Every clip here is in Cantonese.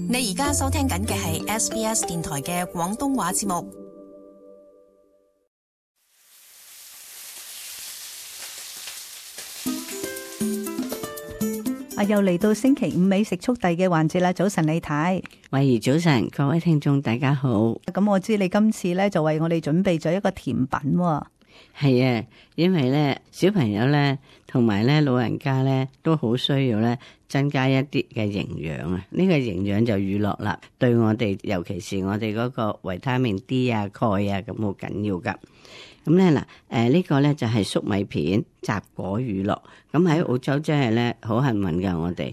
你而家收聽緊嘅係 SBS 電台嘅廣東話節目。又嚟到星期五美食速遞嘅環節啦！早晨李太，慧兒早晨，各位聽眾大家好。咁我知你今次咧就為我哋準備咗一個甜品喎。係啊，因為咧小朋友咧同埋咧老人家咧都好需要咧增加一啲嘅營養啊！呢個營養就乳酪啦，對我哋尤其是我哋嗰個維他命 D 啊、鈣啊咁好緊要噶。咁咧嗱，呢個咧就係粟米片雜果乳酪。咁喺澳洲真係咧好幸運噶，我哋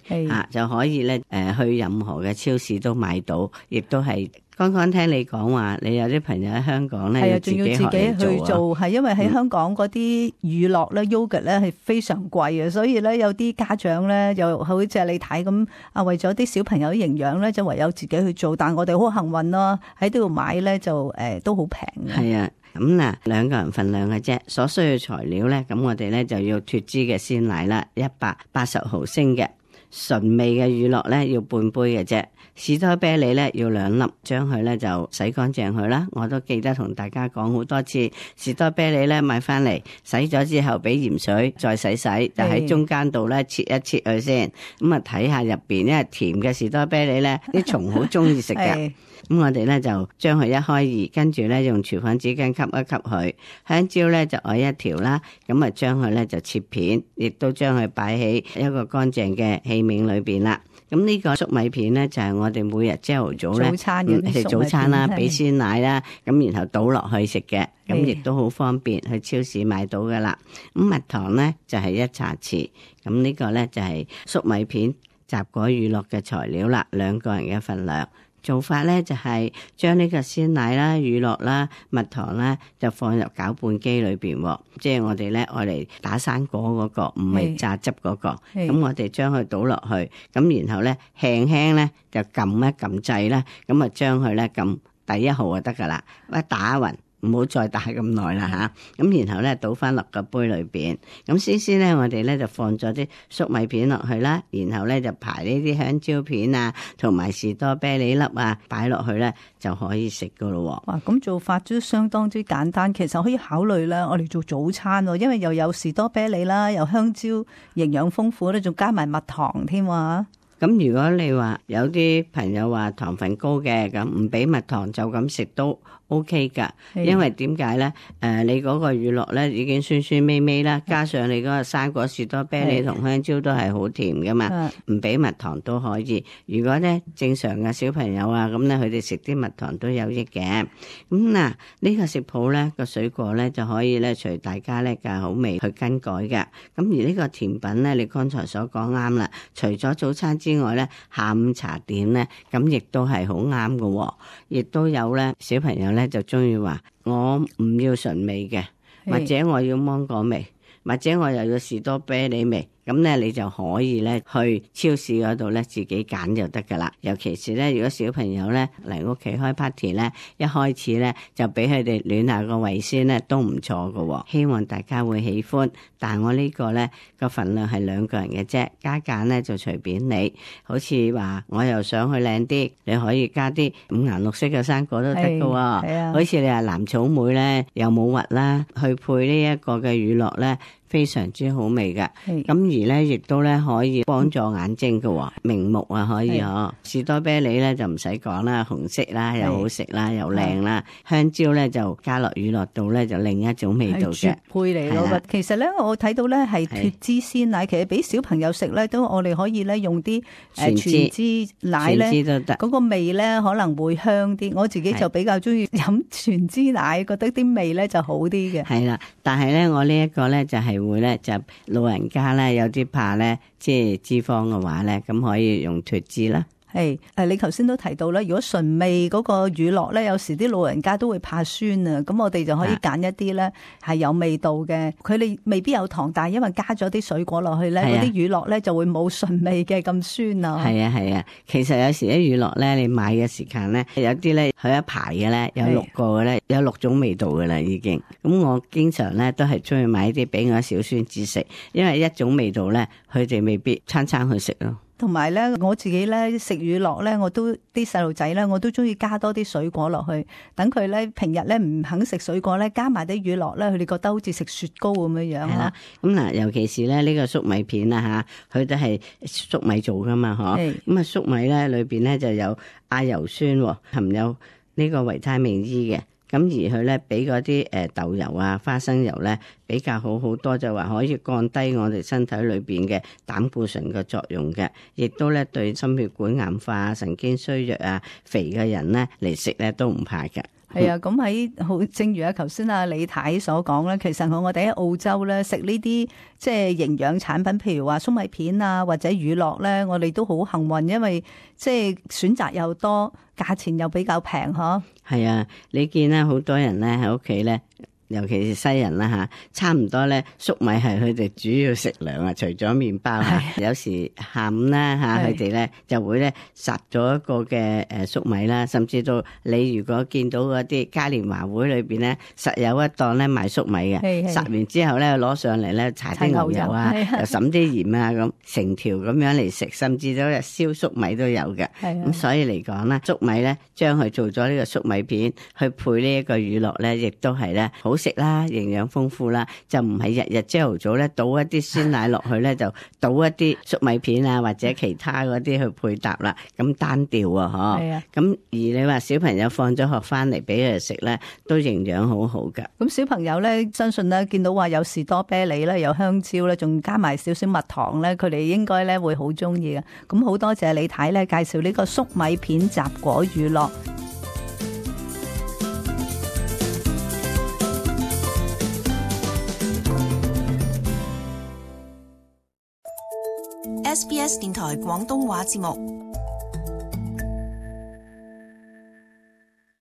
就可以咧去任何嘅超市都買到，亦都係剛剛聽你講話，你有啲朋友喺香港咧，仲要自己去做，係因為喺香港嗰啲乳酪咧、yogurt 咧係非常貴嘅，所以咧有啲家長咧又好似你睇咁啊，為咗啲小朋友營養咧，就唯有自己去做。但我哋好幸運咯，喺呢度買咧就都好平嘅。係啊。咁嗱，2個人份量嘅啫，所需嘅材料咧，咁我哋咧就要脫脂嘅鮮奶啦，180毫升嘅純味嘅乳酪咧要半杯嘅啫，士多啤梨咧要2粒，將佢咧就洗乾淨佢啦。我都記得同大家講好多次，士多啤梨咧買翻嚟洗咗之後俾鹽水再洗，就喺中間度咧切一切佢先，咁啊睇下入邊，因為甜嘅士多啤梨咧啲蟲好中意食嘅。咁我哋咧就將佢一開二，跟住咧用廚房紙巾吸一吸佢。香蕉咧就愛一條啦，咁啊將佢咧就切片，亦都將佢擺喺一個乾淨嘅器皿裏邊啦。咁呢個粟米片咧就係我哋每日朝頭早咧食早餐啦，俾鮮奶啦，咁然後倒落去食嘅，咁亦都好方便，去超市買到噶啦。咁蜜糖咧就係1茶匙，咁呢個咧就係粟米片雜果乳酪嘅材料啦，2個人嘅份量。做法咧就係將呢個鮮奶啦、乳酪啦、蜜糖啦，就放入攪拌機裏邊，即係我哋咧愛嚟打生果嗰個，唔係榨汁嗰個。咁我哋將佢倒落去，咁然後咧輕輕咧就撳一撳掣啦，咁啊將佢咧撳第1號就得噶啦，一打匀。唔好再打咁耐啦吓，咁然後咧倒翻落個杯裏邊，咁先咧我哋咧就放咗啲粟米片落去啦，然後咧就排呢啲香蕉片啊，同埋士多啤梨粒啊擺落去咧就可以食噶咯。哇，咁做法都相當之簡單，其實可以考慮咧，我哋做早餐，因為又有士多啤梨啦，又香蕉營養豐富咧，仲加埋蜜糖添啊。咁如果你話有啲朋友話糖分高嘅，咁唔俾蜜糖就咁食都 OK 噶，因為點解咧？你嗰個乳酪咧已經酸酸味味啦，加上你嗰個生果士多啤梨同香蕉都係好甜噶嘛，唔俾蜜糖都可以。如果咧正常嘅小朋友啊，咁咧佢哋食啲蜜糖都有益嘅。咁嗱，呢個食譜咧個水果咧就可以咧隨大家咧嘅口味去更改嘅。咁而呢個甜品咧，你剛才所講啱啦，除咗早餐之外咧，下午茶點咧，咁亦都係好啱嘅，亦都有咧小朋友咧就中意話我唔要純味嘅，或者我要芒果味，或者我又要士多啤梨味。咁咧你就可以咧去超市嗰度咧自己揀就得噶啦。尤其是咧如果小朋友咧嚟屋企開 party 咧，一開始咧就俾佢哋暖下個胃先咧都唔錯噶。希望大家會喜歡。但我呢個咧個份量係2個人嘅啫，加減咧就隨便你。好似話我又想去靚啲，你可以加啲5顏6色嘅生果都得噶。好似你話藍草莓咧又冇核啦，去配呢一個嘅乳酪咧。非常之好味嘅，咁而咧亦都咧可以幫助眼睛嘅，明目啊可以嗬。士多啤梨咧就唔使講啦，紅色啦又好食啦又靚啦，香蕉咧就加落乳酪度咧就另一種味道嘅絕配嚟咯。其實咧我睇到咧係脫脂鮮奶，其實俾小朋友食咧都我哋可以咧用啲全脂奶咧，嗰個味咧可能會香啲。我自己就比較中意飲全脂奶，覺得啲味咧就好啲嘅。係啦，但係咧我呢一個咧就係會咧就老人家咧有啲怕咧即係脂肪嘅話咧，咁可以用脫脂啦。係你頭先都提到啦，如果純味嗰個乳酪咧，有時啲老人家都會怕酸啊，咁我哋就可以揀一啲咧係有味道嘅，佢哋未必有糖，但係因為加咗啲水果落去咧，嗰啲乳酪咧就會冇純味嘅咁酸啊。係啊係啊，其實有時啲乳酪咧，你買嘅時間咧，有啲咧佢一排嘅咧有6個嘅咧，有6種味道嘅啦已經。咁我經常咧都係中意買啲俾我小孫子食，因為一種味道咧，佢哋未必餐餐去食咯。同埋咧，我自己咧食乳酪咧，我都啲細路仔咧，我都中意加多啲水果落去，等佢咧平日咧唔肯食水果咧，加埋啲乳酪咧，佢哋覺得好似食雪糕咁樣樣咯。咁嗱，尤其是咧呢個粟米片啊嚇，佢都係粟米做噶嘛，嗬。咁啊粟米咧裏邊咧就有亞油酸，含有呢個維他命 E 嘅。咁而佢咧比嗰啲豆油啊、花生油咧比較好好多，就話可以降低我哋身體裏邊嘅膽固醇嘅作用嘅，亦都咧對心血管硬化、神經衰弱啊、肥嘅人咧嚟食咧都唔怕嘅。係啊，咁喺好正如頭先李太所講咧，其實我哋喺澳洲咧食呢啲即係營養產品，譬如話粟米片啊或者乳酪咧，我哋都好幸運，因為即係選擇又多，價錢又比較平嗬。係啊，你見咧好多人咧喺屋企咧。尤其是西人啦嚇，差唔多咧粟米係佢哋主要食糧啊，除咗麵包嚇。有時下午啦嚇，佢哋咧就會咧烚咗一個嘅粟米啦，甚至到你如果見到嗰啲嘉年華會裏邊咧，實有一檔咧賣粟米嘅，烚完之後咧攞上嚟咧搽啲牛油啊，又揼啲鹽啊咁，成條咁樣嚟食，甚至到燒粟米都有嘅。咁所以嚟講咧，粟米咧將佢做咗呢個粟米片，去配呢一個乳酪咧，亦都係咧好食啦，營養豐富啦，就唔係日日朝頭早咧倒一啲鮮奶落去咧，就倒一啲粟米片啊或者其他嗰啲去配搭啦，咁單調啊，嗬。咁而你話小朋友放咗學翻嚟俾佢哋食咧，都營養好好噶。咁小朋友咧，相信咧見到話有士多啤梨咧，有香蕉咧，仲加埋少少蜜糖咧，佢哋應該咧會好中意嘅。咁好多謝李太咧介紹呢個粟米片雜果乳酪。SBS 電台廣東話節目